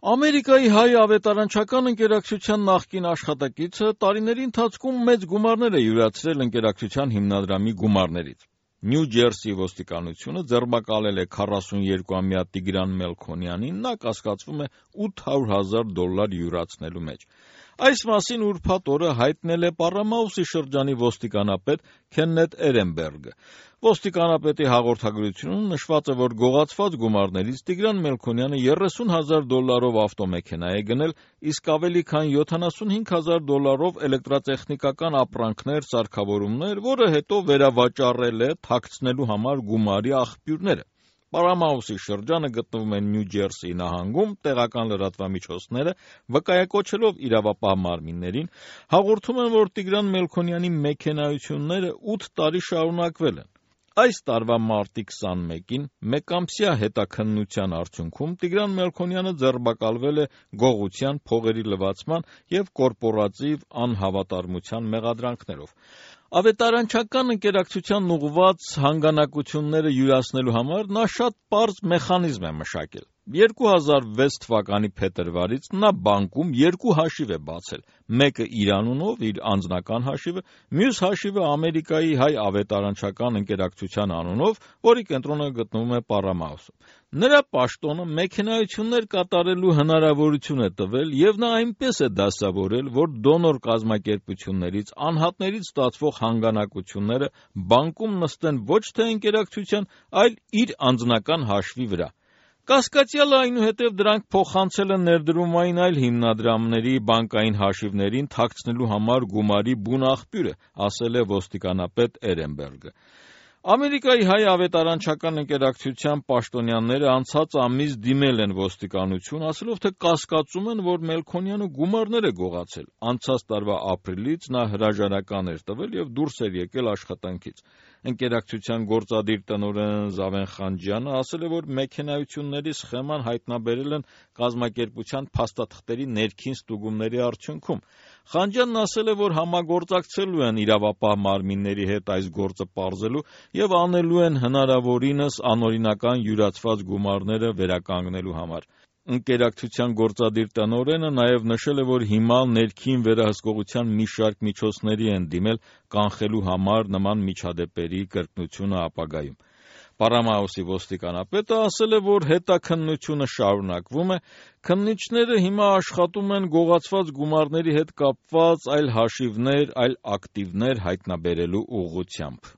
Ամերիկայի հայ ավետարանչական ընկերակցության նախկին աշխատակիցը տարիների ընթացքում մեծ գումարներ է յուրացրել ընկերակցության հիմնադրամի գումարներից։ Նյու Ջերսի ոստիկանությունը ձերբակալել է 42-ամյա Տիգրան Մելքոնյանին, նա կասկածվում է $800,000 յուրացնելու մեջ։ Այս մասին ուրբաթ օրը հայտնել է Պառամաուսի շրջանի ոստիկանապետ Քեննեթ Էրենբերգը։ Ոստիկանապետի հաղորդագրությունում նշված է, որ գողացված գումարներից Տիգրան Մելքոնյանը $30,000 ավտոմեքենա է գնել, իսկ ավելի քան $75,000 էլեկտրատեխնիկական ապրանքներ, սարքավորումներ, որը հետո վերավաճառել է թաքցնելու համար գումարի աղբյուրները։ Պառամաուսի շրջանը գտնվում է Նյու Ջերսիի նահանգում, տեղական լրատվամիջոցները վկայակոչելով իրավապահ մարմիններին հաղորդում են, որ Տիգրան Մելքոնյանի մեքենայությունները 8 տարի շարունակվել են։ Այս տարվա մարտի 21-ին մեկամսյա հետաքննության արդյունքում Տիգրան Մելքոնյանը ձերբակալվել է գողության, փողերի լվացման և կորպորատիվ անհավատարմության մեղադրանքներով։ Ավետարանչական ընկերակցությանն ուղղված հանգանակությունները յուրացնելու համար նա շատ պարզ մեխանիզմ է մշակել։ 2006 թվականի փետրվարից նա բանկում երկու հաշիվ է բացել, մեկը իր անունով, իր անձնական հաշիվը, մյուս հաշիվը Ամերիկայի հայ ավետարանչական ընկերակցության անունով, որի կենտրոնը գտնվում է Պառամաուսում։ Նրա պաշտոնը մեքենայություններ կատարելու հնարավորություն է տվել և նա այնպես է դասավորել, որ դոնոր կազմակերպություններից, անհատներից ստացվող հանգանակությունները բանկում նստեն ոչ թե ընկերակցության, այլ իր անձնական հաշվի վրա։ Կասկածյալը այնուհետև դրանք փոխանցել է ներդրումային այլ հիմնադրամների բանկային հաշիվներին թաքցնելու համար գումարի բուն աղբյուրը, ասել է ոստիկանապետ Էրենբերգը։ Ամերիկայի հայ ավետարանչական ընկերակցության պաշտոնյաները անցած ամիս դիմել են ոստիկանություն, ասելով, թե կասկածում են, որ Մելքոնյանը գումարներ է գողացել։ Անցած տարվա ապրիլից նա հրաժարական էր տվել և դուրս էր եկել աշխատանքից։ Ընկերակցության գործադիր տնօրեն Զավեն Խանջյանը ասել է, որ մեքենայությունների սխեման հայտնաբերել են կազմակերպության փաստաթղթերի ներքին ստուգումների արդյունքում։ Խանջյանն ասել է, որ համագործակցելու են իրավապահ մարմինների հետ այս գործը պարզելու և անելու են հնարավորինս անօրինական յուրացված գումարները վերականգնելու համար։ Ընկերակցության գործադիր տնօրենը նաև նշել է, որ հիմա ներքին վերահսկողության մի շարք միջոցների են դիմել կանխելու համար նման միջադեպերի կրկնությունը ապագայում։ Պառամաուսի ոստիկանապետը ասել է, որ հետաքննությունը շարունակվում է, քննիչները հիմա աշխատում են գողացված գումարների հետ կապված այլ հաշիվներ, այլ ակտիվներ հայտնաբերելու ուղղությամբ։